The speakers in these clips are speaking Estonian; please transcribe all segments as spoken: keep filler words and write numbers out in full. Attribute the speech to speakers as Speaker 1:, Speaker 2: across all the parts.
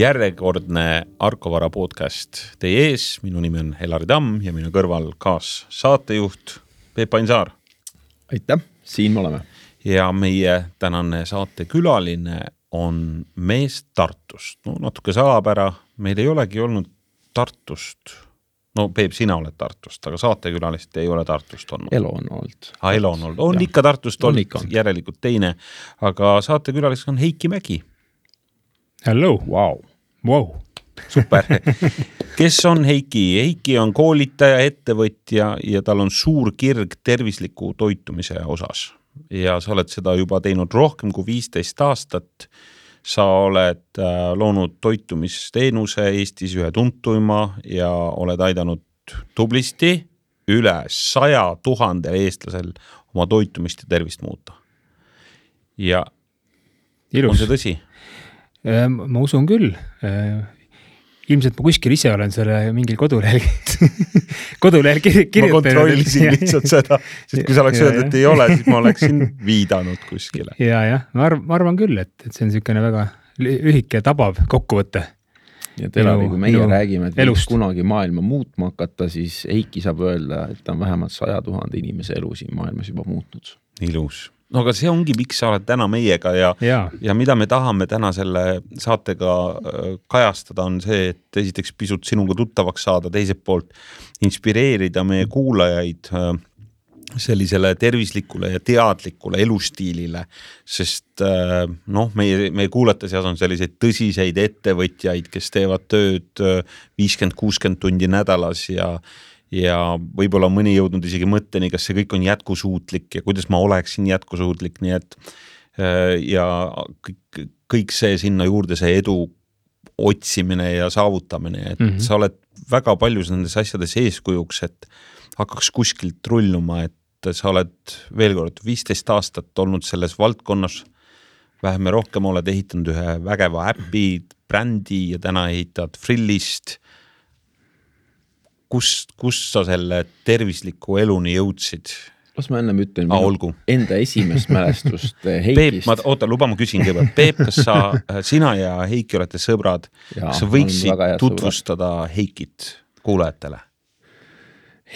Speaker 1: järjekordne Arkovara podcast teie ees. Minu nimi on Helari Tamm ja minu kõrval kaas saatejuht Peep Ainsaar.
Speaker 2: Aitäh, siin me oleme.
Speaker 1: Ja meie tänane saatekülaline on mees Tartust. No, natuke salapära, meil ei olegi olnud Tartust. No Peep, sina oled Tartust, aga saatekülalist ei ole Tartust olnud.
Speaker 2: Elo on olnud.
Speaker 1: Ah, Elo on olnud. On ja. Ikka Tartust olnud, ikka. Järelikult teine. Aga saatekülalist on Heiki Mägi.
Speaker 3: Hello.
Speaker 2: Wow.
Speaker 3: Wow.
Speaker 1: Super. Kes on Heiki? Heiki on koolitaja, ettevõtja ja tal on suur kirg tervisliku toitumise osas. Ja sa oled seda juba teinud rohkem kui viisteist aastat. Sa oled loonud toitumisteenuse Eestis ühe tuntuima ja oled aidanud tublisti üle saja tuhande eestlasel oma toitumist ja tervist muuta. Ja Ilus. On see tõsi?
Speaker 3: Ma usun küll. Ilmselt ma kuskil ise olen selle mingil kodulehel kodulehel kirjutanud.
Speaker 1: Ma kontrollisin lihtsalt seda, sest kui sa oleks öeldud, et ei ole, siis ma oleksin viidanud kuskile.
Speaker 3: Ja, ja, ma, arv, ma arvan küll, et, et see on niisugune väga lühike ja tabav kokkuvõte.
Speaker 2: Ja Telari, kui meie räägime, et võiks kunagi maailma muutma hakata, siis Heiki saab öelda, et ta on vähemalt saja tuhande inimese elu siin maailmas juba muutnud.
Speaker 1: Ilus. No aga see ongi, miks sa oled täna meiega ja, ja. ja mida me tahame täna selle saatega kajastada on see, et esiteks pisut sinuga tuttavaks saada, teiselt poolt inspireerida meie kuulajaid sellisele tervislikule ja teadlikule elustiilile, sest noh, meie, meie kuulate seas on selliseid tõsiseid ettevõtjaid, kes teevad tööd viiskümmend kuuskümmend tundi nädalas ja ja võib-olla mõni jõudnud isegi mõtteni, kas see kõik on jätkusuutlik ja kuidas ma oleksin jätkusuutlik, nii et ja kõik, kõik see sinna juurde, see edu otsimine ja saavutamine, et mm-hmm. sa oled väga paljus nendes asjades eeskujuks, et hakkaks kuskilt rulluma, et sa oled veel kord viisteist aastat olnud selles valdkonnas, väheme rohkem oled ehitanud ühe vägeva äppi, brändi ja täna ehitad Frillist. Kus, kus sa selle tervisliku eluni jõudsid?
Speaker 2: Las ma ennem ütlen minu enda esimest mälestust Heikist.
Speaker 1: Peep, ma, oota, luba ma küsin kõigepealt. Peep, kas sa, sina ja Heiki olete sõbrad? Ja, kas sa võiksid tutvustada sõbrad. Heikit kuulajatele?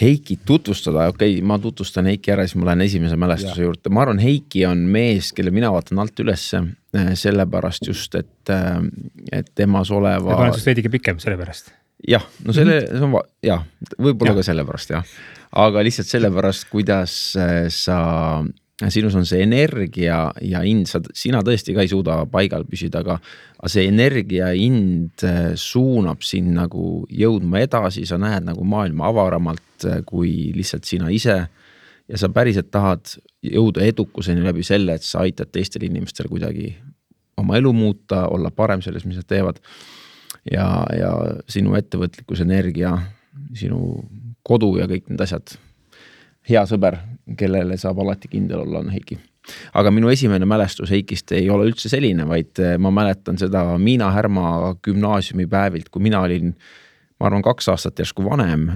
Speaker 2: Heikit tutvustada? Okei, okay, ma tutvustan Heiki ära, siis ma lähen esimese mälestuse ja. Juurde. Ma arvan, Heiki on mees, kelle mina vaatan alt ülesse sellepärast just, et, et temas oleva...
Speaker 3: Ja panen sust veidike pikem sellepärast.
Speaker 2: Jah, no selle, see on, jah, võib-olla ja. Ka sellepärast, jah. Aga lihtsalt sellepärast, kuidas sa, sinus on see energia ja ind, sa, sina tõesti ka ei suuda paigal püsida, aga, aga see energia ja ind suunab sind nagu jõudma edasi, sa näed nagu maailma avaramalt kui lihtsalt sina ise ja sa päriselt tahad jõuda edukuseni läbi selle, et sa aitad teistel inimestel kuidagi oma elu muuta, olla parem selles, mis nad teevad. Ja, ja sinu ettevõtlikkus, energia, sinu kodu ja kõik need asjad. Hea sõber, kellele saab alati kindel olla, on Heiki. Aga minu esimene mälestus Heikist ei ole üldse selline, vaid ma mäletan seda Miina Härma gümnaasiumi päevilt, kui mina olin, ma arvan, kaks aastat järsku vanem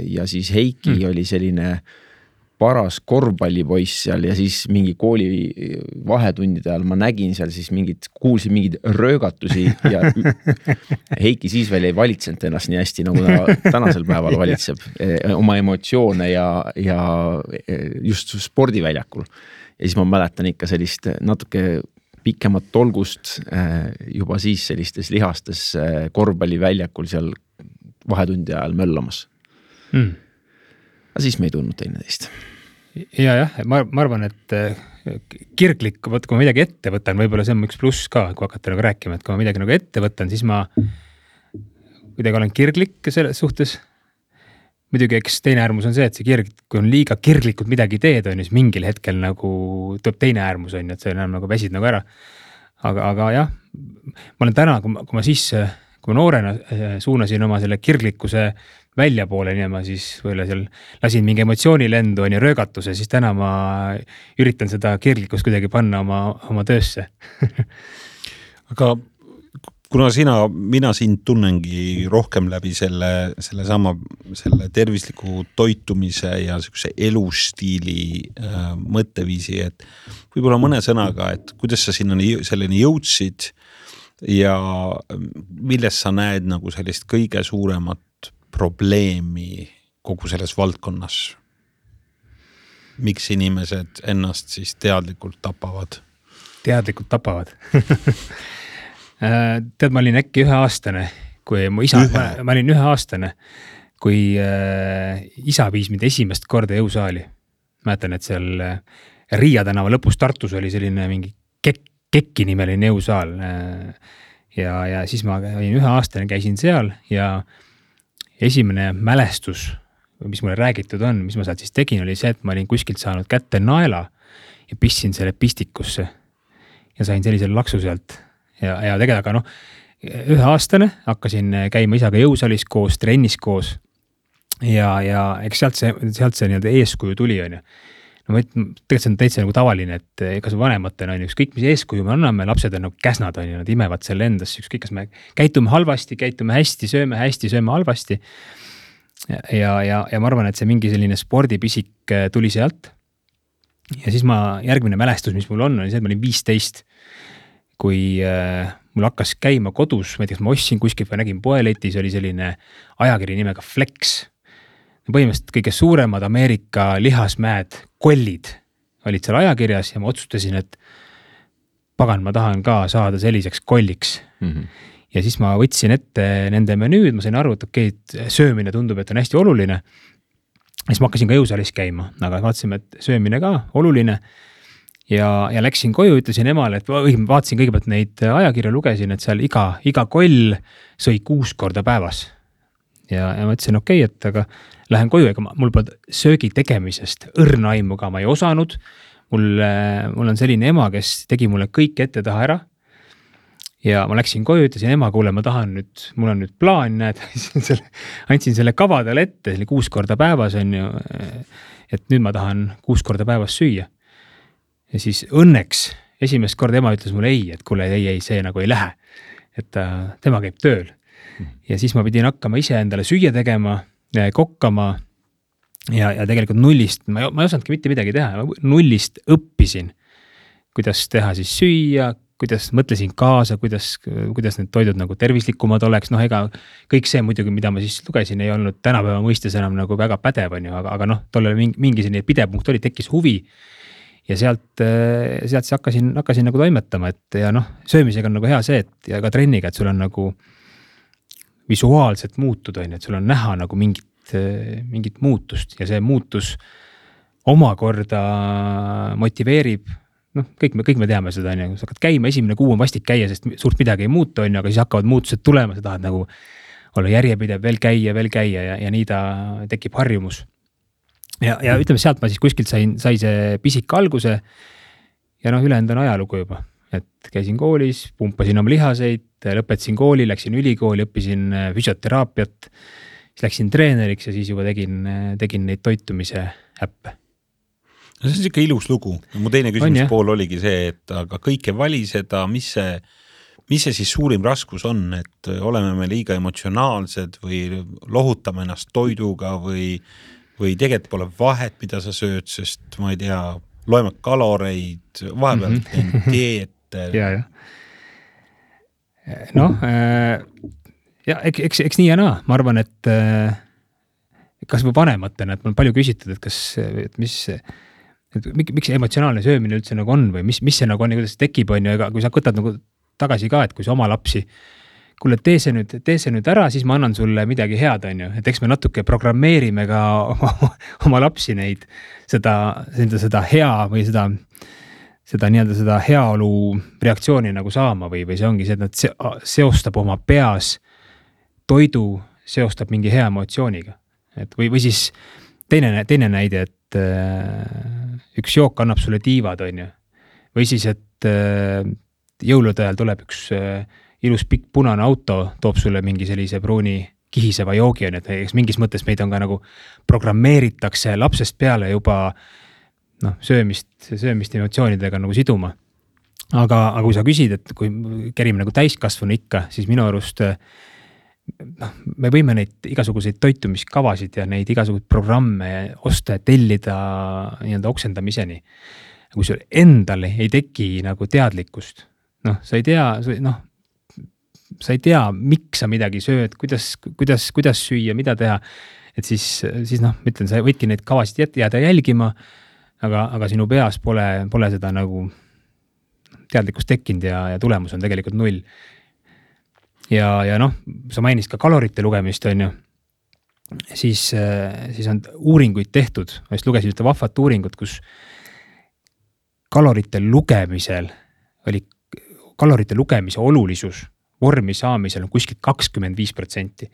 Speaker 2: ja siis Heiki mm. oli selline paras korvpallipoiss seal ja siis mingi kooli vahetundide ajal ma nägin seal siis mingid, kuulsin mingid röögatusi ja Heiki siis veel ei valitsenud ennast nii hästi, nagu ta tänasel päeval valitseb oma emotsioone ja, ja just spordiväljakul. Ja siis ma mäletan ikka sellist natuke pikemat tolgust juba siis sellistes lihastes korvpalliväljakul seal vahetundi ajal möllamas. Mm. Aga siis me ei tundnud teine teist.
Speaker 3: Ja, jah, ma, ma arvan, et kirglik, võt, kui ma midagi ette võtan, võib-olla see on üks pluss ka, kui hakata nagu rääkima, et kui ma midagi nagu ette võtan, siis ma kuidagi olen kirglik selles suhtes. Muidugi, eks teine äärmus on see, et see kirg, kui on liiga kirglikult midagi teed, on siis mingil hetkel nagu tuleb teine äärmus, on, et see enam nagu väsid nagu ära. Aga, aga jah, ma olen täna, kui ma, kui ma siis, kui ma noorena suunasin oma selle kirglikkuse välja poole, nii ma siis võile seal lasin mingi emotsiooni lendu on ja röögatuse, siis täna ma üritan seda kirglikkust kuidagi panna oma, oma töösse.
Speaker 1: Aga kuna sina, mina sind tunnengi rohkem läbi selle, selle sama selle tervisliku toitumise ja sellise elustiili äh, mõtteviisi, et võib-olla mõne sõnaga, et kuidas sa sinna selleni jõudsid ja milles sa näed nagu sellist kõige suuremat probleemi kogu selles valdkonnas? Miks inimesed ennast siis teadlikult tapavad?
Speaker 3: Teadlikult tapavad. Tead, ma olin äkki ühe aastane, kui mu isa, ma, ma olin ühe aastane, kui äh, isa viis mind esimest korda jõusaali. Mäletan, et seal äh, Riia tänava lõpus Tartus oli selline mingi kek, Kekki nimeline jõusaal ja, ja siis ma olin ühe aastane, käisin seal ja esimene mälestus, mis mulle räägitud on, mis ma sealt siis tegin, oli see, et ma olin kuskilt saanud kätte naela ja pistsin selle pistikusse ja sain sellisel laksu sealt ja, ja tegelikult, aga noh, ühe aastane hakkasin käima isaga jõusaalis koos, trennis koos ja, ja eks sealt see, sealt see nii-öelda eeskuju tuli on ju. No ma ütlen, tegelikult see on täitsa nagu tavaline, et kas vanematena on ükskõik, mis eeskuju me anname, lapsed on nagu käsnad on ju, nad imevad selle endas, ükskõik, kas me käitume halvasti, käitume hästi, sööme hästi, sööme halvasti. Ja, ja, ja ma arvan, et see mingi selline spordipisik tuli sealt. Ja siis ma, järgmine mälestus, mis mul on, on see, et ma olin viisteist, kui äh, mul hakkas käima kodus, ma ei tea, ma ostsin kuskilt või nägin poeletis, oli selline ajakiri nimega Flex. Põhimõtteliselt kõige suuremad Ameerika lihasmäed, kollid olid seal ajakirjas ja ma otsustasin, et pagan, ma tahan ka saada selliseks kolliks. Mm-hmm. Ja siis ma võtsin ette nende menüüd, ma sain aru, et okei, et söömine tundub, et on hästi oluline. Ja siis ma hakkasin ka jõusaalis käima, aga vaatasime, et söömine ka oluline. Ja, ja läksin koju, ütlesin emale, et vaatasin kõigepealt neid ajakirja, lugesin, et seal iga, iga koll sõi kuus korda päevas. Ja, ja ma ütlesin, okei, et aga lähen koju, ega mul pole söögi tegemisest õrna aimu ka, ma ei osanud. Mul, mul on selline ema, kes tegi mulle kõik ette taha ära. Ja ma läksin koju, ütlesin ema, kuule, ma tahan nüüd, mul on nüüd plaan, näed, andsin selle kava talle ette, selle kuus korda päevas on ju, et nüüd ma tahan kuus korda päevas süüa. Ja siis õnneks esimest korda ema ütles mulle ei, et kuule, ei, ei, see nagu ei lähe, et ta, tema käib tööl. Ja siis ma pidin hakkama ise endale süüa tegema, kokkama ja, ja tegelikult nullist, ma ei, ma ei osanudki mitte midagi teha, nullist õppisin, kuidas teha siis süüa, kuidas mõtlesin kaasa, kuidas, kuidas need toidud nagu tervislikumad oleks, noh ega kõik see muidugi, mida ma siis lugesin, ei olnud tänapäeva mõistes enam nagu väga pädev on ju, aga, aga noh, tolle mingi, mingi selline pidepunkt oli, tekkis huvi ja sealt, sealt siis hakkasin, hakkasin nagu toimetama, et ja noh, söömisega on nagu hea see, et ja ka trenniga, et sul on nagu visuaalselt muutud on, et sul on näha nagu mingit, mingit muutust ja see muutus omakorda motiveerib, noh, kõik me, kõik me teame seda, on ju, sa hakkad käima, esimene kuu on vastik käia, sest suurt midagi ei muutu, on ju, aga siis hakkavad muutused tulema, sa tahad nagu olla järjepidev, veel käia, veel käia ja, ja nii ta tekib harjumus. Ja, ja ütleme, sealt ma siis kuskilt sain, sai see pisik alguse ja noh, ülejäänud on ajalugu juba. Et käisin koolis, pumpasin oma lihaseid, lõpetasin kooli, läksin ülikooli, õppisin füsioteraapiat, siis läksin treeneriks ja siis juba tegin, tegin neid toitumise äppe.
Speaker 1: No see on siuke ilus lugu. Mu teine küsimus on, pool oligi see, et aga kõike vali seda, mis see, mis see siis suurim raskus on, et oleme me liiga emotsionaalsed või lohutame ennast toiduga või, või tegelikult pole vahet, mida sa sööd, sest ma ei tea, loeme kaloreid, vahepeal mm-hmm. teen dieet.
Speaker 3: Ja, ja. Noh, ja eks, eks nii ja naa, ma arvan, et kas või vanematena, et mul on palju küsitud, et kas, et mis, et miks emotsionaalne söömine üldse nagu on või mis, mis see nagu on ja kuidas see tekib on ju, ega kui sa võtad nagu tagasi ka, et kui sa oma lapsi, kuule, tee see nüüd, tee see nüüd ära, siis ma annan sulle midagi head on ju, et eks me natuke programmeerime ka oma, oma lapsi neid, seda, seda, seda hea või seda seda nii-öelda seda heaolu reaktsiooni nagu saama või, või see ongi see, et nad seostab oma peas toidu, seostab mingi hea emotsiooniga. Et või, või siis teine, teine näide, et äh, üks jook annab sulle tiivad, on ju. Või siis, et äh, jõulude ajal tuleb üks äh, ilus pikk punane auto, toob sulle mingi sellise pruuni kihiseva joogi, on, et eks mingis mõttes meid on ka nagu programmeeritakse lapsest peale juba noh, söömist, söömist emotsioonidega nagu siduma. Aga, aga kui sa küsid, et kui kerime nagu täiskasvanu ikka, siis minu arust noh, me võime neid igasuguseid toitumiskavasid ja neid igasuguseid programme osta ja tellida nii-öelda oksendamiseni. Kui sul endale ei teki nagu teadlikkust, noh, sa ei tea, noh, sa ei tea, miks sa midagi sööd, kuidas, kuidas, kuidas süüa, mida teha. Et siis, siis noh, ma ütlen, sa võidki neid kavasid jääda jälgima, aga, aga sinu peas pole, pole seda nagu teadlikkust tekkinud ja, ja tulemus on tegelikult null. Ja, ja noh, sa mainist ka kalorite lugemist, on ju. Siis, siis on uuringuid tehtud, ma just lugesin ühte vahvat uuringut, kus kalorite lugemisel oli kalorite lugemise olulisus vormi saamisel on kuskil kakskümmend viis protsenti.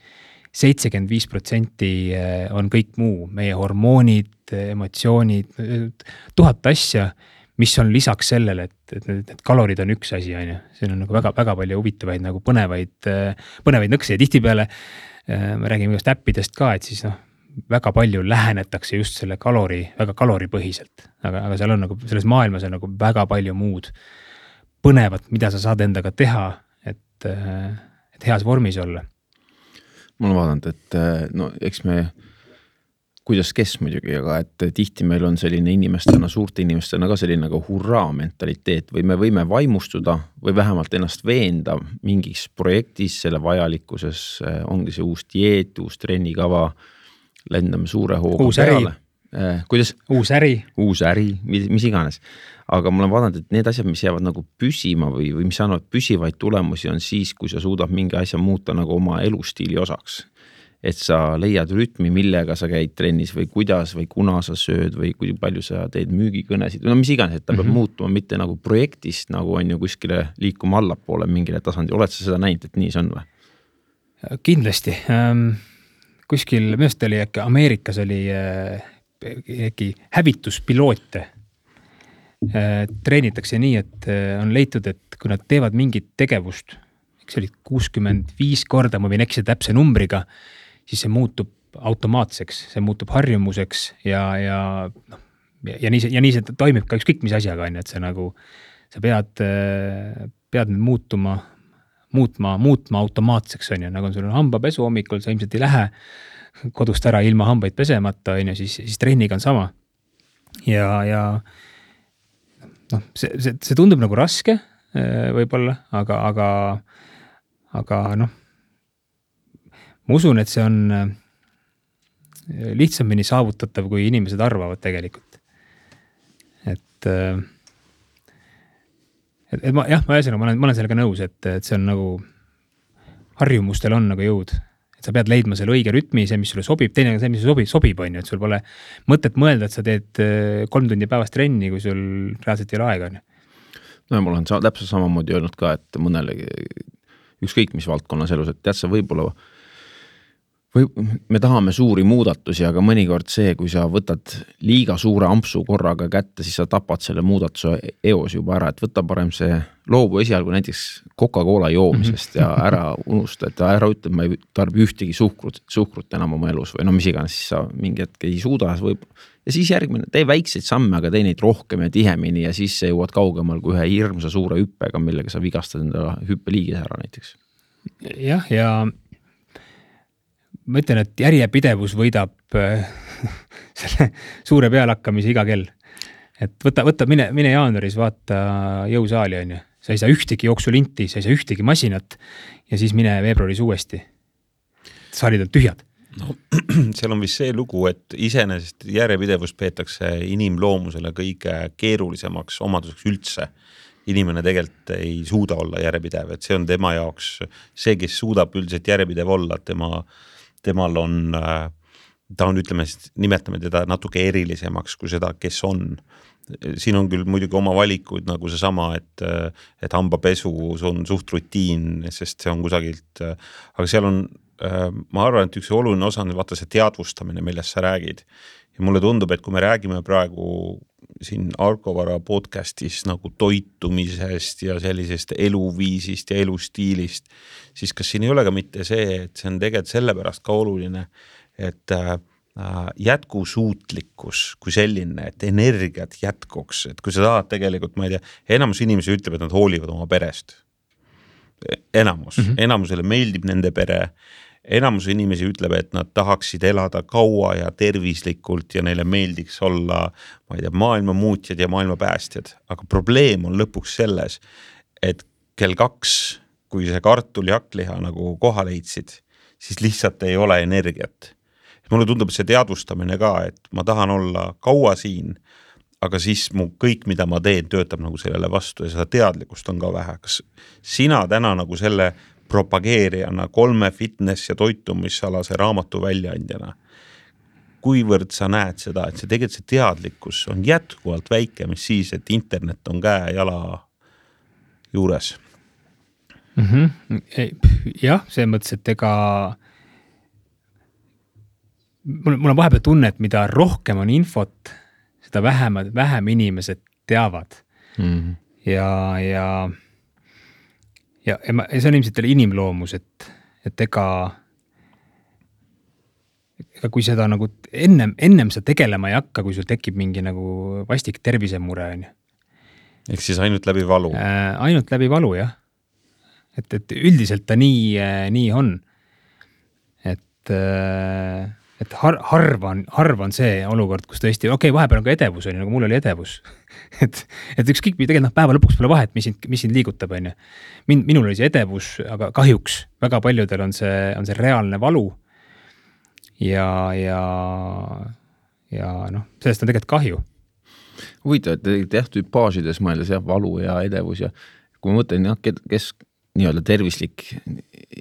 Speaker 3: seitsekümmend viis protsenti on kõik muu, meie hormoonid, emotsioonid, tuhat asja, mis on lisaks sellele, et, et need kalorid on üks asi, on ju. Siin on nagu väga, väga palju huvitavaid nagu põnevaid, põnevaid nõkse ja tihtipeale me räägime just äppidest ka, et siis noh, väga palju lähenetakse just selle kalori, väga kaloripõhiselt, aga, aga seal on nagu, selles maailmas on nagu väga palju muud põnevat, mida sa saad endaga teha, et, et heas vormis olla.
Speaker 2: Ma olen vaadanud, et no eks me, kuidas kes muidugi, aga et tihti meil on selline inimestena, suurte inimestena ka selline nagu hurraa mentaliteet või me võime vaimustuda või vähemalt ennast veenda mingis projektis, selle vajalikkuses ongi see uus dieet, uus trennikava, lendame suure hooga
Speaker 3: uus
Speaker 2: peale. Eh, kuidas?
Speaker 3: Uus äri.
Speaker 2: Uus äri, mis, mis iganes. Aga ma olen vaadanud, et need asjad, mis jäävad nagu püsima või, või mis annavad püsivaid tulemusi on siis, kui sa suudad mingi asja muuta nagu oma elustiili osaks. Et sa leiad rütmi, millega sa käid trennis või kuidas või kuna sa sööd või kui palju sa teed müügikõnesid. No mis iganes, et ta mm-hmm. peab muutuma mitte nagu projektist, nagu on ju kuskile liikuma allapoole mingile tasandi. Oled sa seda näinud, et nii see on või?
Speaker 3: Kindlasti. Ähm, kuskil, millest oli äkki Ameerikas oli äh, äkki hävituspiloote. Äh, treenitakse nii, et äh, on leitud, et kui nad teevad mingit tegevust, eks oli kuuskümmend viis korda, ma võin eksida täpse numbriga, siis see muutub automaatselt, see muutub harjumuseks ja, ja, no, ja, nii, ja nii see toimib ka ükskõik mis asjaga, on, et see nagu, sa pead, pead nüüd muutuma, muutma, muutma automaatseks, on ju, nagu on sul hambapesu hommikul, sa ilmselt ei lähe kodust ära ilma hambaid pesemata, on ju, siis, siis trenniga on sama. Ja, ja noh, see, see, see tundub nagu raske võib-olla, aga, aga, aga noh, ma usun, et see on lihtsamini saavutatav, kui inimesed arvavad tegelikult. Et, et, et ma, jah, ma ühesõnaga, ma olen, ma olen sellega nõus, et, et see on nagu, harjumustel on nagu jõud. Et sa pead leidma selle õige rütmi, see, mis sulle sobib, teine on see, mis sobib, sobib on ju, et sul pole mõtet mõelda, et sa teed kolm tundi päevast trenni, kui sul reaalselt ei ole aega. On.
Speaker 2: No mul on sa, täpselt samamoodi öelnud ka, et mõnele ükskõik mis valdkonnas elus, et tead sa võib-olla või me tahame suuri muudatusi, aga mõnikord see, kui sa võtad liiga suure ampsu korraga kätte, siis sa tapad selle muudatuse eos juba ära, et võta parem see loobu esialgu näiteks Coca-Cola joomisest ja ära unusta, et ära ütle, et ma ei tarbi ühtegi suhkrut, suhkrut enam oma elus või no mis iganes, siis sa mingi hetk ei suuda võib... ja siis järgmine, tee väikseid samme, aga tee neid rohkem ja tihemini ja siis sa jõuad kaugemal kui ühe hirmsa suure hüppega, millega sa vigastad enda hüppeliigis ära näiteks.
Speaker 3: Jah, ja ma ütlen, et järjepidevus võidab selle suure pealakkamise iga kell. Et võta, võta mine, mine jaanuaris vaata jõusaali on ju. Sa ei saa ühtegi jooksulinti, sa ei saa ühtegi masinat ja siis mine veebruaris uuesti. Saalid on tühjad.
Speaker 1: No, seal on vist see lugu, et iseenesest järjepidevus peetakse inimloomusele kõige keerulisemaks omaduseks üldse. Inimene tegelikult ei suuda olla järjepidev, et see on tema jaoks see, kes suudab üldiselt järjepidev olla, tema temal on, ta on, ütleme, nimetame teda natuke erilisemaks kui seda, kes on. Siin on küll muidugi oma valikuid nagu see sama, et, et hambapesu on suht rutiin, sest see on kusagilt, aga seal on, ma arvan, et üks oluline osa on vaata see teadvustamine, millest sa räägid. Ja mulle tundub, et kui me räägime praegu siin Arkovara podcastis nagu toitumisest ja sellisest eluviisist ja elustiilist, siis kas siin ei ole ka mitte see, et see on tegelikult sellepärast ka oluline, et äh, jätkusuutlikkus kui selline, et energiat jätkuks, et kui sa tahad tegelikult, ma ei tea, enamus inimesi ütleb, et nad hoolivad oma perest. Enamus, mm-hmm. enamusele meeldib nende pere, enamus inimesi ütleb, et nad tahaksid elada kaua ja tervislikult ja neile meeldiks olla, ma ei tea, maailma muutjad ja maailma päästjad. Aga probleem on lõpuks selles, et kell kaks kui see kartul ja hakkliha nagu koha leidsid, siis lihtsalt ei ole energiat. Mulle tundub see teadvustamine ka, et ma tahan olla kaua siin, aga siis mu kõik, mida ma teen, töötab nagu sellele vastu ja seda teadlikkust on ka vähe. Kas sina täna nagu selle propageerijana, kolme fitness- ja toitumisalase raamatu väljaandjana, kuivõrd sa näed seda, et see tegelikult see teadlikkus on jätkuvalt väike, mis siis, et internet on käe jala juures?
Speaker 3: Mm-hmm. Jah, see mõttes, et ega mul, mul on vahepeal tunne, et mida rohkem on infot, seda vähem, vähem inimesed teavad. Mm-hmm. Ja, ja, ja, ja, ma, ja see on ilmselt inimloomus, et, et ega, ega kui seda nagu ennem, ennem sa tegelema ei hakka, kui sul tekib mingi nagu vastik tervisemure. On ju.
Speaker 1: Ehk siis ainult läbi valu?
Speaker 3: Äh, ainult läbi valu, jah. Et, et üldiselt ta nii, nii on. Et, et har, harva, on, harva on see olukord, kus tõesti, okei, okay, vahepeal on ka edevus, on, nagu mul oli edevus. et, et ükskõik, tegelikult noh, päeva lõpuks pole vahet, mis sind, mis sind liigutab, on ju. Min, minul oli see edevus, aga kahjuks väga paljudel on see, on see reaalne valu. Ja, ja, ja noh, sellest on tegelikult kahju.
Speaker 2: Huvitav, et jah, tüpaažides mõeldes jah, valu ja edevus ja kui ma mõtlen, jah, kes nii-öelda tervislik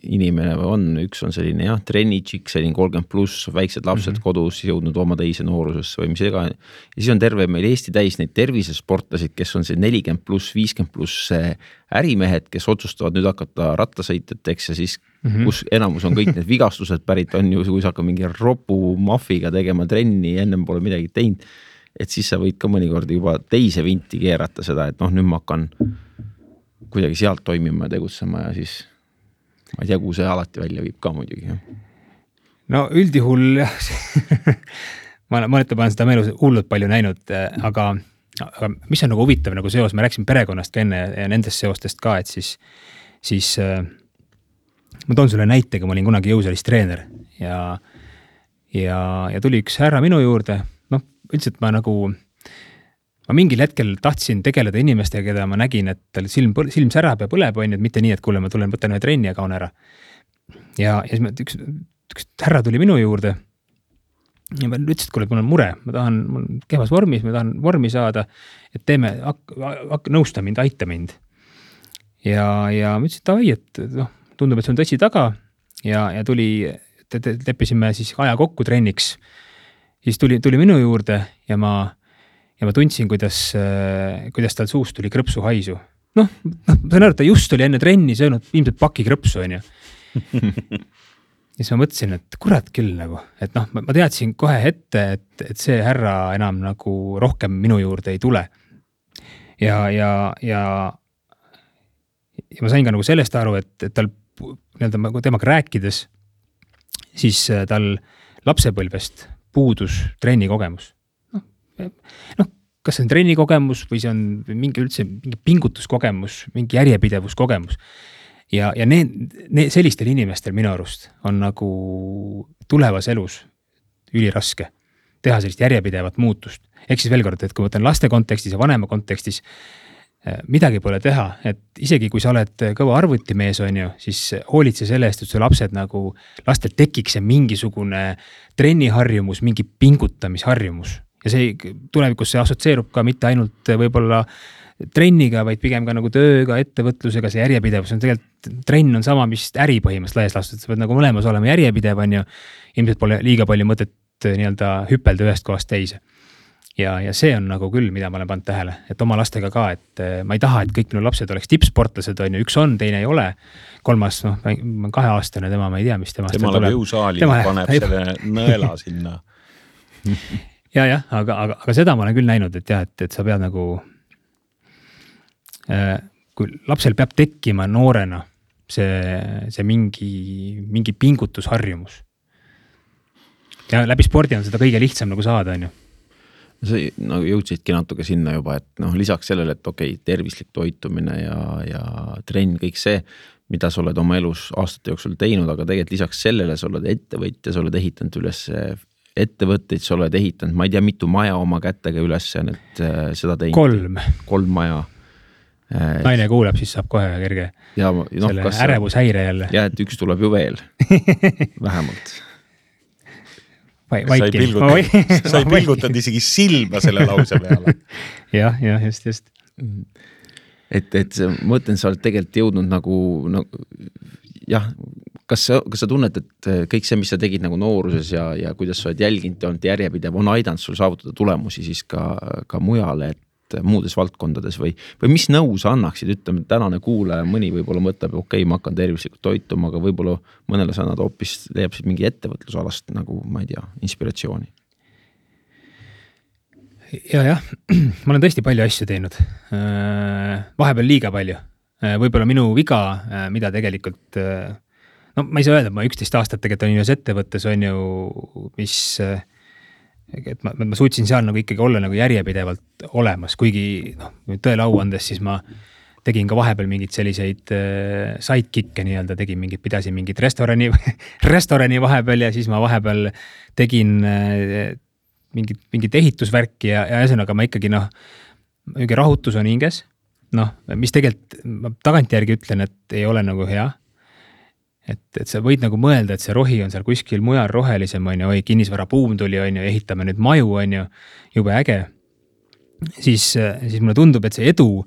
Speaker 2: inimene on, üks on selline jah, trennitšik, selline kolmkümmend pluss, väiksed lapsed mm-hmm. kodus jõudnud oma teise noorusesse või mis ega. Ja siis on terve meil Eesti täis neid tervisesportlasid, kes on see nelikümmend pluss, viiskümmend pluss ärimehed, kes otsustavad nüüd hakata rattasõitjateks ja siis mm-hmm. kus enamus on kõik need vigastused pärit on ju, kui sa hakkad mingi ropu mafiga tegema trenni, ennem pole midagi teinud, et siis sa võid ka mõnikord juba teise vinti keerata seda, et noh, nüüd ma hakkan kuidagi sealt toimima ja tegutsema ja siis ma ei tea, kuhu see alati välja viib ka muidugi.
Speaker 3: No üldjuhul ma, ma olen seda meelus hullult palju näinud, aga, aga mis on nagu huvitav nagu seos, me rääksin perekonnast ka enne ja nendest seostest ka, et siis, siis ma toon sulle näitega, ma olin kunagi jõusalist treener ja, ja, ja tuli üks härra minu juurde, noh, üldiselt ma nagu ma mingil hetkel tahtsin tegeleda inimestega, keda ma nägin, et tal silm, silm särab ja põleb, on, et mitte nii, et kuule, ma tulen, võtan ühe trenni ja kaun ära. Ja, ja siis ma, üks, üks härra tuli minu juurde ja ma ütlesin, et kuule, mul on mure, ma tahan, mul on kehvas vormis, ma tahan vormi saada, et teeme, hakka, hakka nõusta mind, aita mind. Ja, ja ma ütlesin, et ai, et noh, tundub, et see on tõsi taga ja, ja tuli, te, te, leppisime siis aja kokku trenniks. Siis tuli, tuli minu juurde ja ma Ja ma tundsin, kuidas, kuidas tal suust tuli krõpsu haisu. Noh, ma saan aru, et ta just oli enne trenni söönud ilmselt paki krõpsu, on ju. Ja siis ma mõtlesin, et kurat küll nagu, et noh, ma teadsin kohe ette, et, et see härra enam nagu rohkem minu juurde ei tule. Ja, ja, ja, ja ma sain ka nagu sellest aru, et, et tal nii-öelda temaga rääkides, siis tal lapsepõlvest puudus trenni kogemus. noh, kas see on trennikogemus või see on mingi üldse mingi pingutuskogemus, mingi järjepidevuskogemus. Ja, ja need, need sellistel inimestel minu arust on nagu tulevas elus üliraske teha sellist järjepidevat muutust. Ehk siis veel kord, et kui võtan laste kontekstis ja vanema kontekstis, midagi pole teha, et isegi kui sa oled kõva arvutimees, on ju, siis hoolitse selle eest, et su lapsed nagu, lastel tekiks see mingisugune trenniharjumus, mingi pingutamisharjumus. Ja see tulevikus see assotsieerub ka mitte ainult võib-olla trenniga, vaid pigem ka nagu tööga, ettevõtlusega, see järjepidevus on tegelikult, trenn on sama, mis äri põhimõtteliselt laias laastus, sa pead nagu mõlemas olema järjepidev, on ju, ilmselt pole liiga palju mõtet nii-öelda hüppelda ühest kohast teise. Ja, ja see on nagu küll, mida ma olen pannud tähele, et oma lastega ka, et ma ei taha, et kõik minu lapsed oleks tippsportlased, on ju, üks on, teine ei ole, kolmas, noh, kahe aastane, tema ma ei tea, mis temast
Speaker 1: tema läheb jõusaali, paneb selle nõela sinna.
Speaker 3: Ja, jah, aga, aga, aga seda ma olen küll näinud, et jah, et, et sa pead nagu, kui lapsel peab tekkima noorena see, see mingi, mingi pingutusharjumus. Ja läbi spordi on seda kõige lihtsam nagu saada, on ju.
Speaker 2: Sa nagu jõudsidki natuke sinna juba, et noh, lisaks sellele, et okei, okay, tervislik toitumine ja, ja trenn, kõik see, mida sa oled oma elus aastate jooksul teinud, aga tegelikult lisaks sellele sa oled ettevõtja, sa oled ehitanud üles ettevõtteid, sa oled ehitanud, ma ei tea, mitu maja oma kätega üles, et seda teinud.
Speaker 3: Kolm.
Speaker 2: Kolm maja.
Speaker 3: naine kuuleb, siis saab kohe kerge
Speaker 2: ja, no,
Speaker 3: selle ärevushäire jälle.
Speaker 2: Ja, et üks tuleb ju veel, vähemalt.
Speaker 1: Sa ei pilgutad, sa ei pilgutad isegi silma selle lause peale.
Speaker 3: jah, jah, just, just.
Speaker 2: Et, et ma mõtlen, sa oled tegelikult jõudnud nagu, nagu jah, kas sa, kas sa tunned, et kõik see, mis sa tegid nagu nooruses ja, ja kuidas sa oled jälginud ja olnud järjepidev, on aidanud sul saavutada tulemusi siis ka, ka mujale, et muudes valdkondades või, või mis nõu sa annaksid, ütleme, tänane kuulaja, mõni võib-olla mõtleb, okei, okay, ma hakkan tervislikult toituma, aga võib-olla mõnele sa nad hoopis leiabsid mingi ettevõtlusalast nagu, ma ei tea, inspiratsiooni.
Speaker 3: Ja, jah, ma olen tõesti palju asju teinud. Vahepeal liiga palju. Võib-olla minu viga, mida tegelikult, no ma ei saa öelda, ma üksteist aastat tegelikult olin ühes ettevõttes, on ju, mis et ma, ma suutsin seal nagu ikkagi olla nagu järjepidevalt olemas, kuigi noh, tõele au andes, siis ma tegin ka vahepeal mingid selliseid äh, sidekicke nii-öelda, tegin mingid, pidasin mingid restorani, restorani vahepeal ja siis ma vahepeal tegin äh, mingid, mingid ehitusvärki ja, ja ühesõnaga ma ikkagi noh, mingi rahutus on hinges, noh, mis tegelikult ma tagantjärgi ütlen, et ei ole nagu hea. Et, et sa võid nagu mõelda, et see rohi on seal kuskil mujal rohelisem, on ju, oi, kinnisvara buum tuli, on ju, ehitame nüüd maju, on ju, jube äge. Siis, siis mulle tundub, et see edu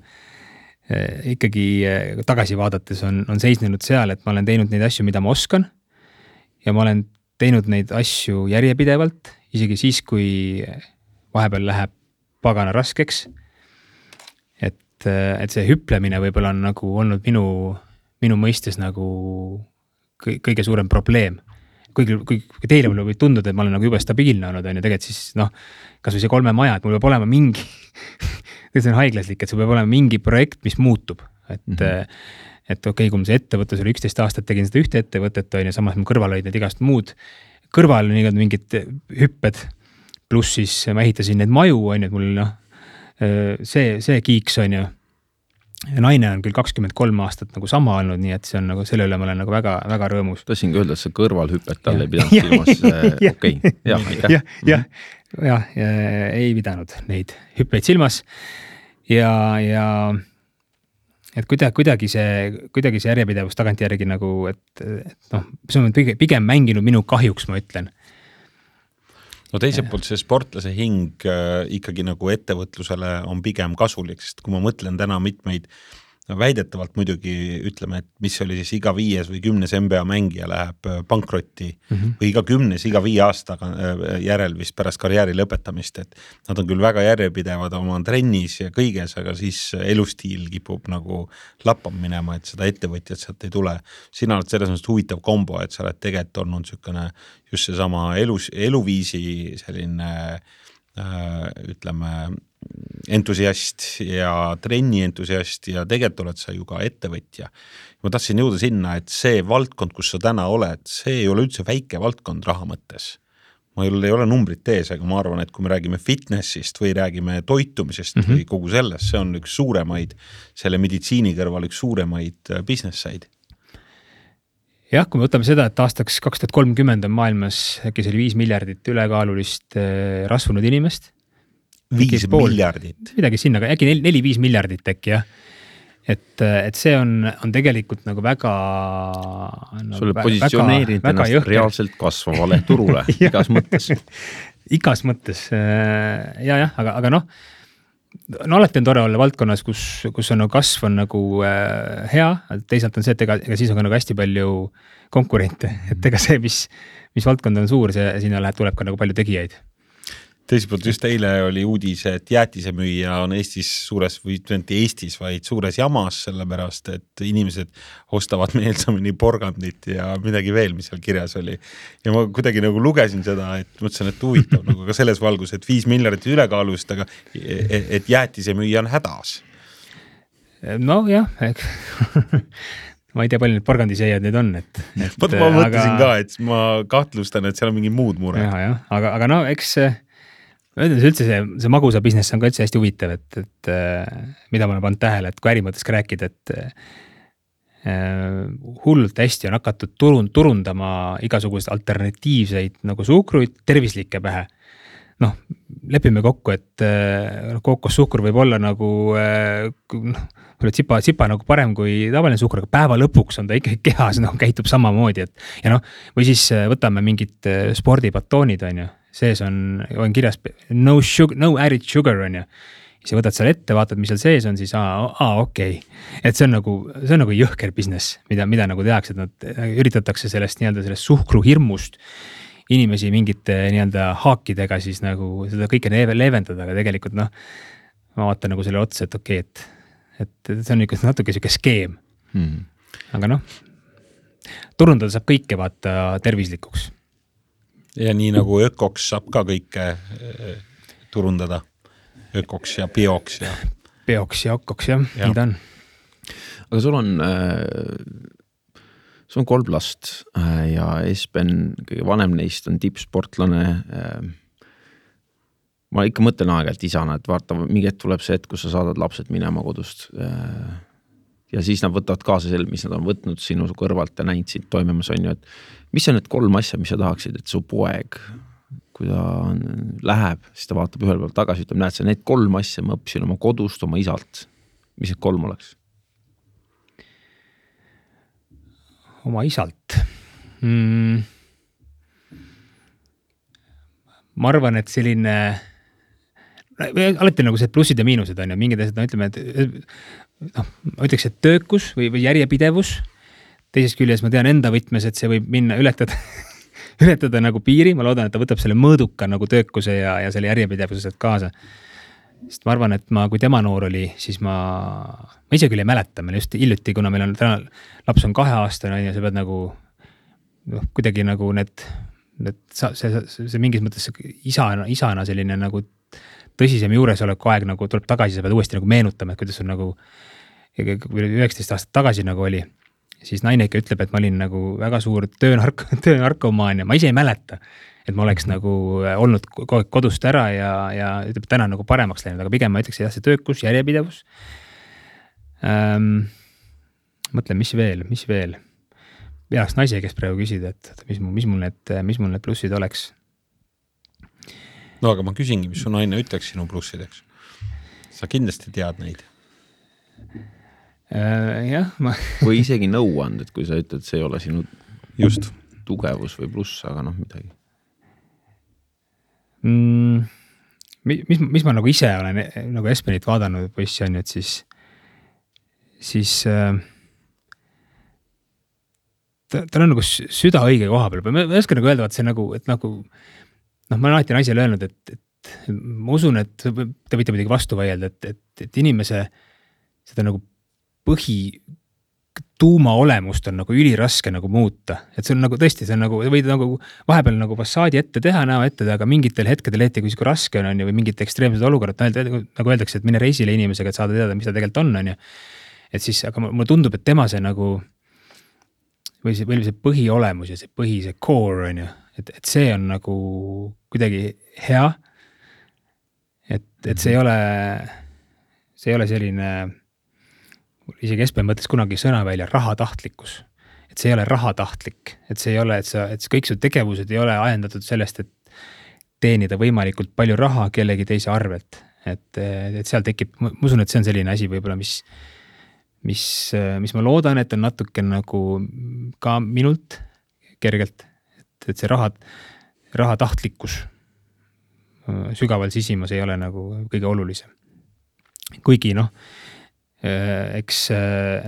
Speaker 3: eh, ikkagi eh, tagasi vaadates on, on seisnenud seal, et ma olen teinud neid asju, mida ma oskan ja ma olen teinud neid asju järjepidevalt, isegi siis, kui vahepeal läheb pagana raskeks. Et, et see hüplemine võib-olla on nagu olnud minu, minu mõistes nagu kõige suurem probleem. Kuigi, kui teile mulle võib tunduda, et ma olen nagu jube stabiilne olnud, on ju, tegelikult siis noh, kas või see kolme maja, et mul peab olema mingi, see on haiglaslik, et see peab olema mingi projekt, mis muutub. Et, mm-hmm. et okei, okay, kui mul see ettevõttes oli üksteist aastat, tegin seda ühte ettevõtet, on ju, samas ma kõrval olid need igast muud kõrval nii mingid hüpped, pluss siis ma ehitasin need maju, on ju, et mul noh, see, see kiiks, on ju. Ja naine on küll kakskümmend kolm aastat nagu sama olnud, nii et see on nagu selle üle ma olen nagu väga, väga rõõmus.
Speaker 2: Tahtsin ka öelda, et see kõrvalhüpet talle ei pidanud silmas, okei, okay. jah, aitäh.
Speaker 3: jah, jah, jah, ja, ei pidanud neid hüppeid silmas ja, ja et kuidagi, kuidagi see, kuidagi see järjepidevus tagantjärgi nagu, et, et noh, see on pigem, pigem mänginud minu kahjuks, ma ütlen.
Speaker 1: No teiselt poolt see sportlase hing äh, ikkagi nagu ettevõtlusele on pigem kasulik, sest kui ma mõtlen täna mitmeid no väidetavalt muidugi ütleme, et mis oli siis iga viies või kümnes N B A mängija läheb pankrotti mm -hmm. või iga kümnes, iga viie aastaga järel vist pärast karjääri lõpetamist, et nad on küll väga järjepidevad oma trennis ja kõiges, aga siis elustiil kipub nagu lappama minema, et seda ettevõtjat sealt ei tule. Sina oled selles mõttes huvitav kombo, et sa oled tegelikult olnud sükene just see sama elus, eluviisi selline äh, ütleme entusiast ja trenni entusiast ja tegelikult oled sa ju ka ettevõtja. Ma tahtsin jõuda sinna, et see valdkond, kus sa täna oled, see ei ole üldse väike valdkond raha mõttes. Ma ei ole numbrit ees, aga ma arvan, et kui me räägime fitnessist või räägime toitumisest mm -hmm. või kogu sellest, see on üks suuremaid, selle meditsiini kõrval üks suuremaid business-said.
Speaker 3: Jah, kui me võtame seda, et aastaks kaks tuhat kolmkümmend on maailmas äkki see viis miljardit ülekaalulist rasvunud inimest.
Speaker 1: Viis miljardit.
Speaker 3: Midagi sinna, äkki neli-viis miljardit äkki, jah. Et, et see on, on tegelikult nagu väga...
Speaker 2: No, Sulle positsioneerinud ennast jõhker. Reaalselt kasvavale turule, igas mõttes.
Speaker 3: Igas mõttes, ja, jah, aga, aga noh, no alati on tore olla valdkonnas, kus, kus on nagu kasv on nagu äh, hea, teisalt on see, et ega, ega siis on ka nagu hästi palju konkurente, et ega see, mis, mis valdkond on suur, see sinna läheb, tuleb ka nagu palju tegijaid.
Speaker 1: Teiselt just eile oli uudis, et jäätisemüüja on Eestis suures, või mitte Eestis, vaid suures jamas, sellepärast, et inimesed ostavad meelsamini porgandit ja midagi veel, mis seal kirjas oli. Ja ma kuidagi nagu lugesin seda, et mõtlesin, et huvitav nagu ka selles valgus, et viis miljardit ülekaalust, aga et jäätisemüüja on hädas.
Speaker 3: No jah, ma ei tea, palju need porgandiseiad need on. Et, et,
Speaker 1: Võt, ma mõtlesin aga... ka, et ma kahtlustan, et seal on mingi muud mure.
Speaker 3: Ja, ja. Aga, aga no eks üldse see, see magusa business on ka üldse hästi huvitav, et, et mida ma olen pannud tähele, et kui ärimõttes ka rääkida, et äh, hullult hästi on hakatud turund, turundama igasuguseid alternatiivseid nagu suhkruid tervislikke pähe. noh, lepime kokku, et kookossuhkur võib olla nagu noh, tsipa, tsipa nagu parem kui tavaline suhkur, aga päeva lõpuks on ta ikkagi kehas, noh, käitub samamoodi, et ja noh, või siis võtame mingid spordibatoonid, on ju, sees on, on kirjas no sugar, no added sugar, on ju. Siis võtad seal ette, vaatad, mis seal sees on, siis aa, aa okei. Okay. Et see on nagu, see on nagu jõhker business, mida, mida nagu tehakse, et nad üritatakse sellest nii-öelda sellest suhkru hirmust inimesi mingite nii-öelda haakidega siis nagu seda kõike leevendada, aga tegelikult noh, ma vaatan nagu selle otsa, et okei, okay, et, et see on ikka natuke siuke skeem. Hmm. Aga noh, turundada saab kõike vaata tervislikuks.
Speaker 1: Ja nii nagu ökoks saab ka kõike turundada. Ökoks ja bioks ja.
Speaker 3: Bioks ja ökoks, jah, ja. Nii ta on.
Speaker 2: Aga sul on, sul on kolm last ja Espen, kõige vanem neist on tippsportlane. Ma ikka mõtlen aeg-ajalt isana, et vaata, mingi hetk tuleb see hetk, kus sa saadad lapsed minema kodust. Ja siis nad võtavad kaasa selle, mis nad on võtnud sinu kõrvalt ja näinud sind toimimas, on ju, et mis on need kolm asja, mis sa tahaksid, et su poeg, kui ta läheb, siis ta vaatab ühel peal tagasi, ütleb, näed sa, need kolm asja ma õppisin oma kodust, oma isalt. Mis need kolm oleks?
Speaker 3: Oma isalt. Mm. Ma arvan, et selline, alati nagu see plussid ja miinused on ja mingid asjad, no ütleme, et no, ma ütleks, et töökus või, või järjepidevus. Teisest küljes ma tean enda võtmes, et see võib minna ületada ületada nagu piiri, ma loodan, et ta võtab selle mõõduka nagu töökuse ja, ja selle järjepidevused kaasa. Sest ma arvan, et ma, kui tema noor oli, siis ma, ma ise küll ei mäleta, meil just hiljuti, kuna meil on täna, laps on kahe aastane ja sa pead nagu, noh, kuidagi nagu need, need see, see, see mingis mõttes isana, isana selline nagu tõsisem juuresoleku aeg nagu tuleb tagasi, sa pead uuesti nagu meenutama, et kuidas on nagu üheksateist aastat tagasi nagu oli. Siis naine ikka ütleb, et ma olin nagu väga suur töönark, töönarkomaan ja ma ise ei mäleta, et ma oleks nagu olnud kodust ära ja, ja ütleb, täna nagu paremaks läinud, aga pigem ma ütleks, jah, see töökus, järjepidevus. Ähm, mõtlen, mis veel, mis veel. Peaks naise, kes praegu küsida, et mis, mis, mul need, mis mul need plussid oleks.
Speaker 1: No aga ma küsingi, mis su naine ütleks sinu plussideks. Sa kindlasti tead neid.
Speaker 3: Uh, jah, ma...
Speaker 2: või isegi nõuand, et kui sa ütled, see ei ole sinu
Speaker 1: just
Speaker 2: tugevus või pluss, aga noh, midagi.
Speaker 3: Mm, mis, mis ma nagu ise olen nagu Espenit vaadanud poissi on, et siis, siis äh, ta, ta on nagu süda õige koha peal. Ma ei oska nagu öelda, et see nagu, et nagu, noh, ma olen alati naisele öelnud, et, et ma usun, et te võite midagi vastu vaielda, et, et, et inimese seda nagu põhi tuuma olemust on nagu üliraske nagu muuta. Et see on nagu tõesti, see on nagu, võid nagu vahepeal nagu fassaadi ette teha, näo ette, aga mingitel hetkedel ette, kui siuke raske on, on ju, või mingid ekstreemsed olukorrad, nagu öeldakse, et mine reisile inimesega, et saada teada, mis ta tegelikult on, on ju. Et siis, aga mulle tundub, et tema see nagu, või see, või see põhiolemus ja see põhi, see core on ju, et, et see on nagu kuidagi hea. Et, et see ei ole, see ei ole selline, isegi Espen mõtles kunagi sõna välja rahatahtlikkus, et see ei ole rahatahtlik, et see ei ole, et sa, et kõik su tegevused ei ole ajendatud sellest, et teenida võimalikult palju raha kellegi teise arvelt, et, et seal tekib, ma usun, et see on selline asi võib-olla, mis, mis, mis ma loodan, et on natuke nagu ka minult kergelt, et, et see raha, rahatahtlikkus sügaval sisimas ei ole nagu kõige olulisem. Kuigi noh, eks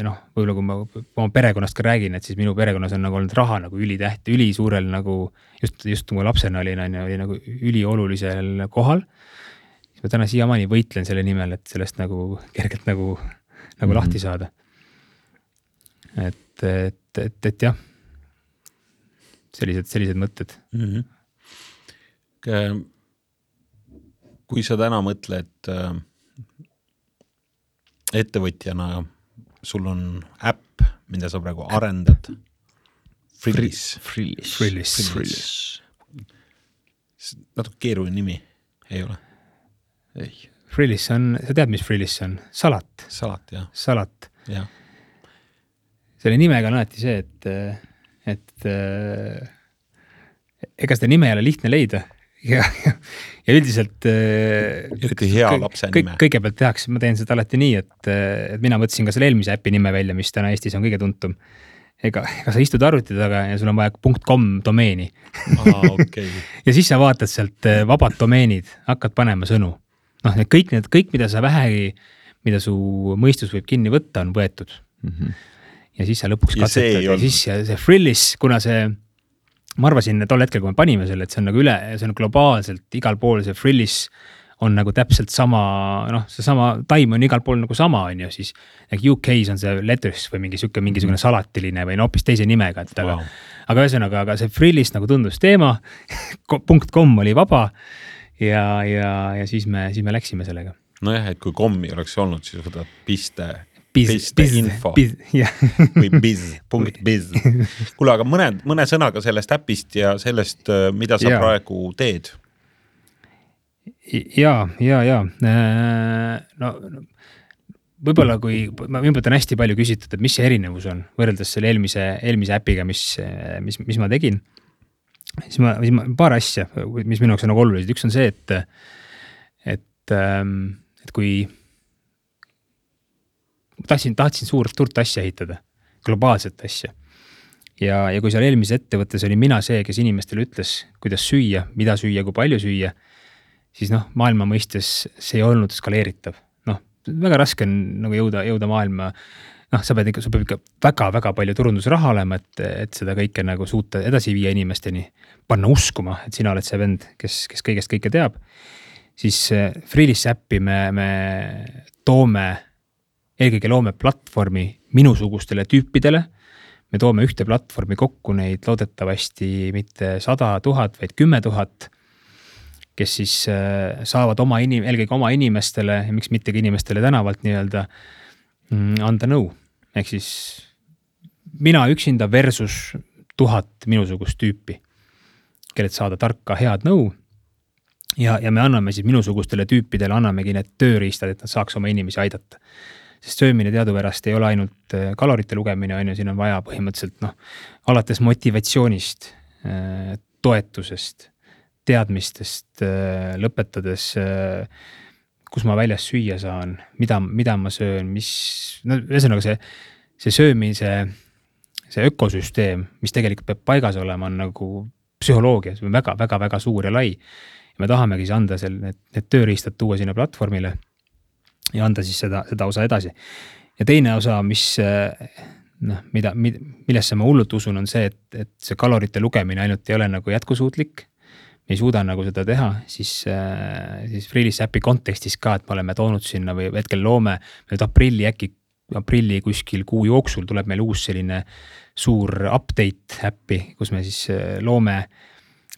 Speaker 3: noh, võib-olla kui ma oma perekonnast ka räägin, et siis minu perekonnas on nagu olnud raha nagu ülitäht, üli suurel nagu, just, just kui ma lapsena olin, oli nagu üli olulisel kohal. Siis ma täna siiamaani võitlen selle nimel, et sellest nagu kergelt nagu, nagu mm-hmm. lahti saada. Et, et, et, et jah, sellised, sellised mõtted.
Speaker 1: Mm-hmm. Kui sa täna mõtled ettevõtjana, sul on äpp, mida sa praegu arendad. Frillis.
Speaker 2: Frillis.
Speaker 3: Frillis.
Speaker 1: Frillis. Natuke keeruline nimi, ei ole?
Speaker 2: Ei.
Speaker 3: Frillis on, sa tead, mis Frillis on? Salat.
Speaker 1: Salat, jah.
Speaker 3: Salat.
Speaker 1: Ja.
Speaker 3: Selle nimega on alati see, et, et ega seda nime ei ole lihtne leida. Ja, ja, ja üldiselt
Speaker 1: eriti hea kõik, lapse
Speaker 3: kõik,
Speaker 1: nime.
Speaker 3: Kõigepealt tehakse, ma teen seda alati nii, et, et mina mõtlesin ka selle eelmise äpi nime välja, mis täna Eestis on kõige tuntum. Ega, ega sa istud arvuti taga ja sul on vaja .com domeeni.
Speaker 1: Aa, okay.
Speaker 3: Ja siis sa vaatad sealt vabad domeenid, hakkad panema sõnu. Noh, need kõik, need, kõik, mida sa vähegi, mida su mõistus võib kinni võtta, on võetud. Mm-hmm. Ja siis sa lõpuks katsetad ja, ja siis ja see Frillis, kuna see, ma arvasin tol hetkel, kui me panime selle, et see on nagu üle, see on globaalselt igal pool, see Frillis on nagu täpselt sama, noh, see sama time on igal pool nagu sama, on ju, siis U K-s on see letters või mingi siuke, mingisugune salatiline või no, hoopis teise nimega, et aga, wow. aga ühesõnaga, aga see Frillis nagu tundus teema, .com oli vaba ja, ja, ja siis me, siis me läksime sellega.
Speaker 1: Nojah, et kui kommi oleks olnud, siis võtad piste,
Speaker 3: biz,
Speaker 1: piste
Speaker 3: biz,
Speaker 1: info
Speaker 3: biz, yeah.
Speaker 1: või biz, punkt biz. Kuule, aga mõne, mõne sõnaga sellest äpist ja sellest, mida sa ja. praegu teed?
Speaker 3: Ja, ja, ja. No, võib-olla kui, ma võib-olla on hästi palju küsitud, et mis see erinevus on võrreldes selle eelmise, eelmise äpiga, mis, mis, mis ma tegin. Siis ma, siis ma paar asja, mis minu jaoks on nagu olulised. Üks on see, et, et, et kui tahtsin, tahtsin suurt, suurt asja ehitada, globaalset asja. Ja, ja kui seal eelmises ettevõttes oli mina see, kes inimestele ütles, kuidas süüa, mida süüa, kui palju süüa, siis noh, maailma mõistes see ei olnud skaleeritav. Noh, väga raske on nagu jõuda, jõuda maailma. Noh, sa pead ikka, sa pead ikka väga, väga palju turundusraha olema, et, et seda kõike nagu suuta edasi viia inimesteni, panna uskuma, et sina oled see vend, kes, kes kõigest kõike teab. Siis Frillis äppi me, me toome, eelkõige loome platvormi minusugustele tüüpidele. Me toome ühte platvormi kokku neid loodetavasti mitte sada tuhat, vaid kümme tuhat, kes siis saavad oma inim, eelkõige oma inimestele ja miks mittegi inimestele tänavalt nii-öelda anda nõu. Ehk siis mina üksinda versus tuhat minusugust tüüpi, kellelt saada tarka head nõu. Ja, ja me anname siis minusugustele tüüpidele, annamegi need tööriistad, et nad saaks oma inimesi aidata. Sest söömine teadupärast ei ole ainult kalorite lugemine, on ju, siin on vaja põhimõtteliselt noh, alates motivatsioonist, toetusest, teadmistest lõpetades, kus ma väljas süüa saan, mida, mida ma söön, mis, no ühesõnaga see, see söömise, see ökosüsteem, mis tegelikult peab paigas olema, on nagu psühholoogia, see on väga, väga, väga suur ja lai. Ja me tahamegi siis anda seal need, need tööriistad tuua sinna platvormile ja anda siis seda, seda osa edasi. Ja teine osa, mis, noh, mida, millesse ma hullult usun, on see, et, et see kalorite lugemine ainult ei ole nagu jätkusuutlik. Me ei suuda nagu seda teha, siis, siis Frillis äpi kontekstis ka, et me oleme toonud sinna või hetkel loome, nüüd aprilli äkki, aprilli kuskil kuu jooksul tuleb meil uus selline suur update äppi, kus me siis loome,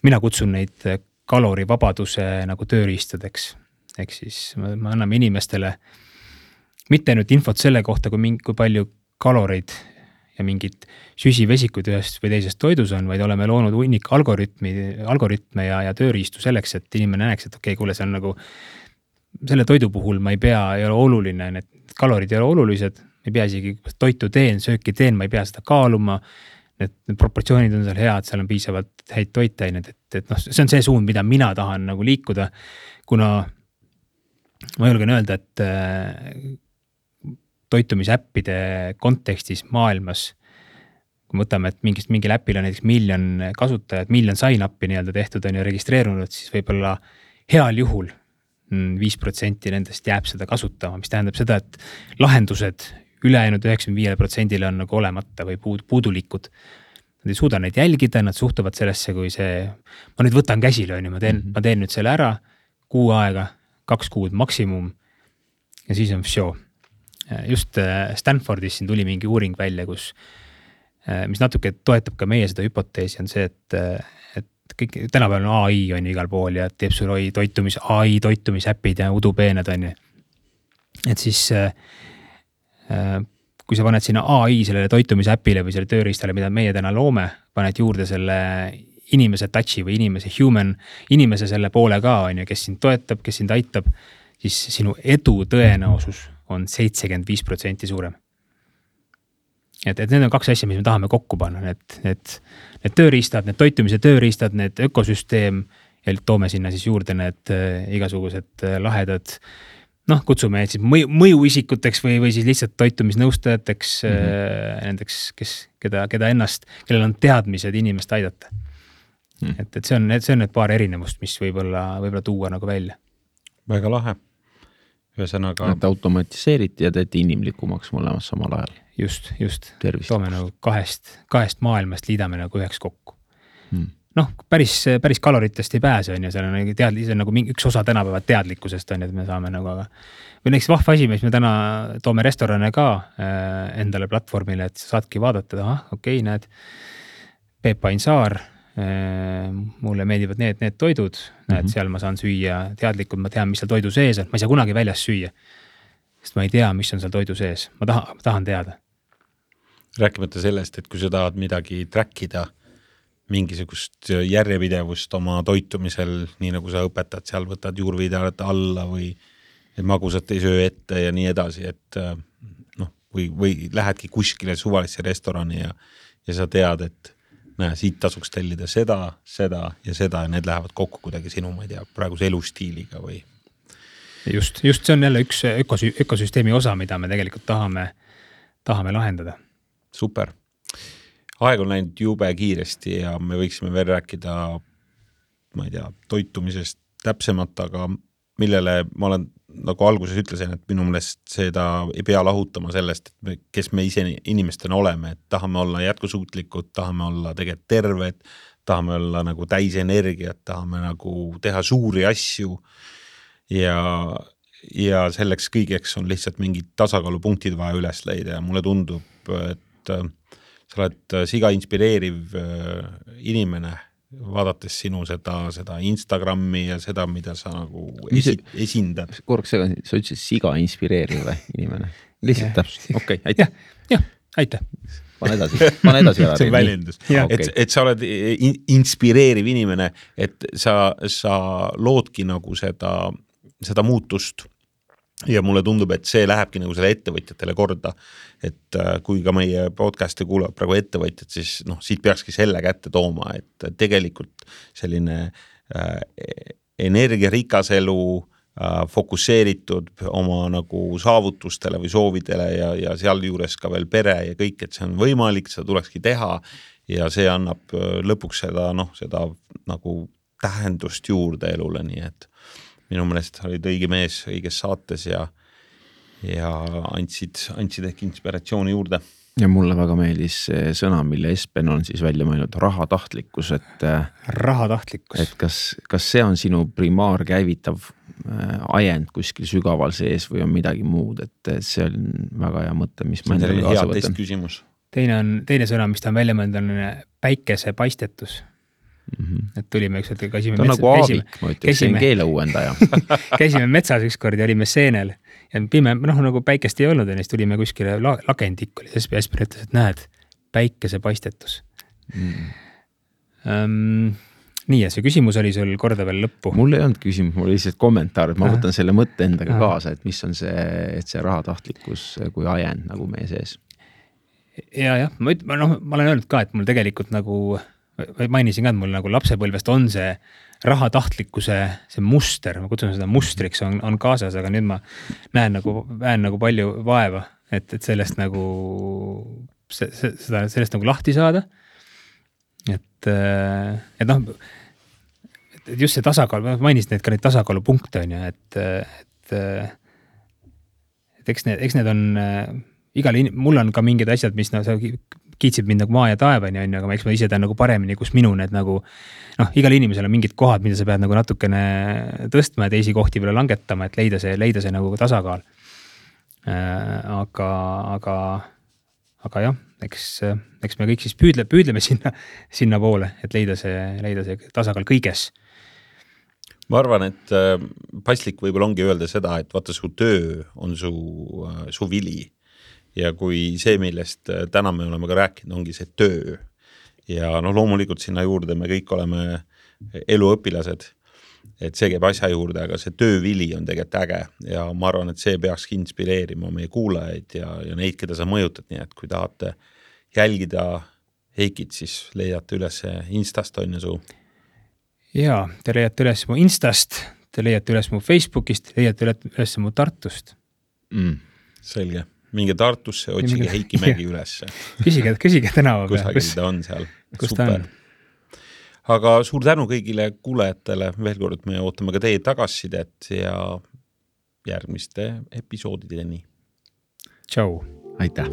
Speaker 3: mina kutsun neid kalorivabaduse nagu tööriistadeks. Ehk siis me, me anname inimestele mitte ainult infot selle kohta, kui, mingi, kui palju kaloreid ja mingid süsivesikud ühest või teisest toidus on, vaid oleme loonud hunnik algoritmi, algoritme ja, ja tööriistu selleks, et inimene näeks, et okei, okay, kuule, see on nagu selle toidu puhul ma ei pea, ei ole oluline, need kalorid ei ole olulised, ei pea isegi toitu teen, sööki teen, ma ei pea seda kaaluma, need, need proportsioonid on seal head, seal on piisavalt häid toitained, et, et noh, see on see suund, mida mina tahan nagu liikuda, kuna ma julgen öelda, et toitumisäppide kontekstis maailmas, kui võtame, et mingist mingil äpil on näiteks miljon kasutajad, miljon sign-up'i nii-öelda tehtud on ja registreerunud, siis võib-olla heal juhul viis protsenti nendest jääb seda kasutama, mis tähendab seda, et lahendused ülejäänud üheksakümmend viis protsendile on nagu olemata või puudulikud. Nad ei suuda neid jälgida, nad suhtuvad sellesse, kui see, ma nüüd võtan käsile, ma teen, mm-hmm. ma teen nüüd selle ära, kuu aega, kaks kuud maksimum ja siis on vsjo. Just Stanfordis siin tuli mingi uuring välja, kus, mis natuke toetab ka meie seda hüpoteesi, on see, et, et kõik, tänapäeval on A I on igal pool ja teeb sul toitumis, A I toitumisäpid ja udupeened on ju. Et siis, kui sa paned sinna A I sellele toitumisäpile või selle tööriistale, mida meie täna loome, paned juurde selle inimese touchi või inimese human, inimese selle poole ka on ju, kes sind toetab, kes sind aitab, siis sinu edu tõenäosus on seitsekümmend viis protsenti suurem. Et, et need on kaks asja, mis me tahame kokku panna, need, need, need tööriistad, need toitumise tööriistad, need ökosüsteem ja toome sinna siis juurde need igasugused lahedad, noh, kutsume siis mõju, mõjuisikuteks või, või siis lihtsalt toitumisnõustajateks mm -hmm. nendeks, kes, keda, keda ennast, kellel on teadmised inimest aidata. Mm. Et, et see on, see on need paar erinevust, mis võib-olla, võib-olla tuua nagu välja.
Speaker 1: Väga lahe. Ühesõnaga.
Speaker 2: Et automatiseeriti ja teete inimlikumaks mõlemas samal ajal.
Speaker 3: Just, just.
Speaker 2: Tervist.
Speaker 3: Toome nagu kahest, kahest maailmast liidame nagu üheks kokku.
Speaker 2: Mm.
Speaker 3: Noh, päris, päris kaloritest ei pääse, on ju, see on teadli, see on nagu mingi, üks osa tänapäeva teadlikkusest on, et me saame nagu, aga või näiteks vahva asi, mis me täna toome restorane ka äh, endale platvormile, et saadki vaadata, aha, okei, okay, näed, Peep Ainsaar, äh, mulle meeldivad need, need toidud, mm-hmm. näed, seal ma saan süüa teadlikult, ma tean, mis seal toidu sees on, ma ei saa kunagi väljas süüa, sest ma ei tea, mis on seal toidu sees, ma tahan, ma tahan teada.
Speaker 1: Rääkimata sellest, et kui sa tahad midagi trackida, mingisugust järjepidevust oma toitumisel, nii nagu sa õpetad, seal võtad juurvideot alla või magusat ei söö ette ja nii edasi, et noh, või, või lähedki kuskile suvalisse restorani ja, ja sa tead, et näe, siit tasuks tellida seda, seda ja seda ja need lähevad kokku kuidagi sinu, ma ei tea, praeguse elustiiliga või.
Speaker 3: Just, just see on jälle üks ökosü- ökosüsteemi osa, mida me tegelikult tahame, tahame lahendada.
Speaker 1: Super. Aeg on läinud jube kiiresti ja me võiksime veel rääkida, ma ei tea, toitumisest täpsemalt, aga millele ma olen nagu alguses ütlesin, et minu meelest seda ei pea lahutama sellest, et me, kes me ise inimestena oleme, et tahame olla jätkusuutlikud, tahame olla tegelikult terved, tahame olla nagu täis energiat, tahame nagu teha suuri asju ja, ja selleks kõigeks on lihtsalt mingid tasakaalupunktid vaja üles leida ja mulle tundub, et sa oled siga inspireeriv inimene, vaadates sinu seda, seda Instagrami ja seda, mida sa nagu esi, esindad.
Speaker 2: Korraks sa ütlesid siga inspireeriv või inimene? Lihtsalt täpselt, okei, okay, aitäh.
Speaker 3: Jah, aitäh.
Speaker 2: Pane edasi, pane edasi.
Speaker 1: See on väljendus. Et, et sa oled inspireeriv inimene, et sa, sa loodki nagu seda, seda muutust. Ja mulle tundub, et see lähebki nagu selle ettevõtjatele korda, et kui ka meie podcasti kuulavad praegu ettevõtjad, siis noh, siit peakski selle kätte tooma, et tegelikult selline äh, energiarikas elu äh, fokusseeritud oma nagu saavutustele või soovidele ja, ja seal juures ka veel pere ja kõik, et see on võimalik, seda tulekski teha ja see annab lõpuks seda, noh, seda nagu tähendust juurde elule, nii et minu meelest olid õige mees õiges saates ja, ja andsid, andsid ehk inspiratsiooni juurde.
Speaker 2: Ja mulle väga meeldis see sõna, mille Espen on siis välja mõelnud, rahatahtlikkus, et
Speaker 3: rahatahtlikkus.
Speaker 2: Et kas, kas see on sinu primaar käivitav ajend kuskil sügaval sees või on midagi muud, et see on väga hea mõte, mis
Speaker 1: ma endale kaasa võtan.
Speaker 3: Teine on, teine sõna, mis ta on välja mõelnud, on päikese paistetus. Mm-hmm. Et tulime üks, et käisime,
Speaker 2: metsa, nagu
Speaker 3: käisime,
Speaker 2: aabik, ma ütleks, käisime, keele uuendaja.
Speaker 3: käisime metsas ükskord ja olime seenel ja pime, noh nagu päikest ei olnud ja neist tulime kuskile la, lagendik oli, siis Espen ütles, et näed, päikese paistetus. Mm. Um, nii ja see küsimus oli sul korda veel lõppu.
Speaker 2: Mul ei olnud küsimus, mul oli lihtsalt kommentaar, et ma võtan selle mõtte endaga Aha. kaasa, et mis on see, et see rahatahtlikkus kui ajend nagu meie sees.
Speaker 3: Ja, jah, ma, üt, no, ma olen öelnud ka, et mul tegelikult nagu mainisin ka, et mul nagu lapsepõlvest on see rahatahtlikkuse, see muster, ma kutsun seda mustriks, on, on kaasas, aga nüüd ma näen nagu, näen nagu palju vaeva, et, et sellest nagu, see, seda, sellest nagu lahti saada. Et, et noh, et just see tasakaal, ma mainisin need ka neid tasakaalupunkte on ju, et, et, et eks need, eks need on igal, mul on ka mingid asjad, mis no, kiitsib mind nagu maa ja taevani, on ju, aga ma eks ma ise tean nagu paremini, kus minu need nagu, noh, igal inimesel on mingid kohad, mida sa pead nagu natukene tõstma ja teisi kohti veel langetama, et leida see, leida see nagu tasakaal. Aga, aga, aga jah, eks, eks me kõik siis püüdle, püüdleme sinna, sinna poole, et leida see, leida see tasakaal kõiges.
Speaker 1: Ma arvan, et paslik võib-olla ongi öelda seda, et vaata su töö on su, su vili. Ja kui see, millest täna me oleme ka rääkinud, ongi see töö. Ja no loomulikult sinna juurde me kõik oleme eluõpilased, et see käib asja juurde, aga see töövili on tegelikult äge ja ma arvan, et see peakski inspireerima meie kuulajaid ja, ja neid, keda sa mõjutad, nii et kui tahate jälgida Heikit, siis leiate üles Instast on ju su.
Speaker 3: ja te leiate üles mu Instast, te leiate üles mu Facebookist, leiate üles mu Tartust.
Speaker 2: Mm.
Speaker 1: Selge, minge Tartusse, otsige minge... Heiki Mägi ülesse.
Speaker 3: Küsige, küsige tänava peal.
Speaker 1: Kusagil ta on seal.
Speaker 3: Kus
Speaker 1: Super.
Speaker 3: ta on?
Speaker 1: Aga suur tänu kõigile kuulajatele, veel kord me ootame ka teie tagasisidet ja järgmiste episoodideni.
Speaker 3: Tšau.
Speaker 2: Aitäh.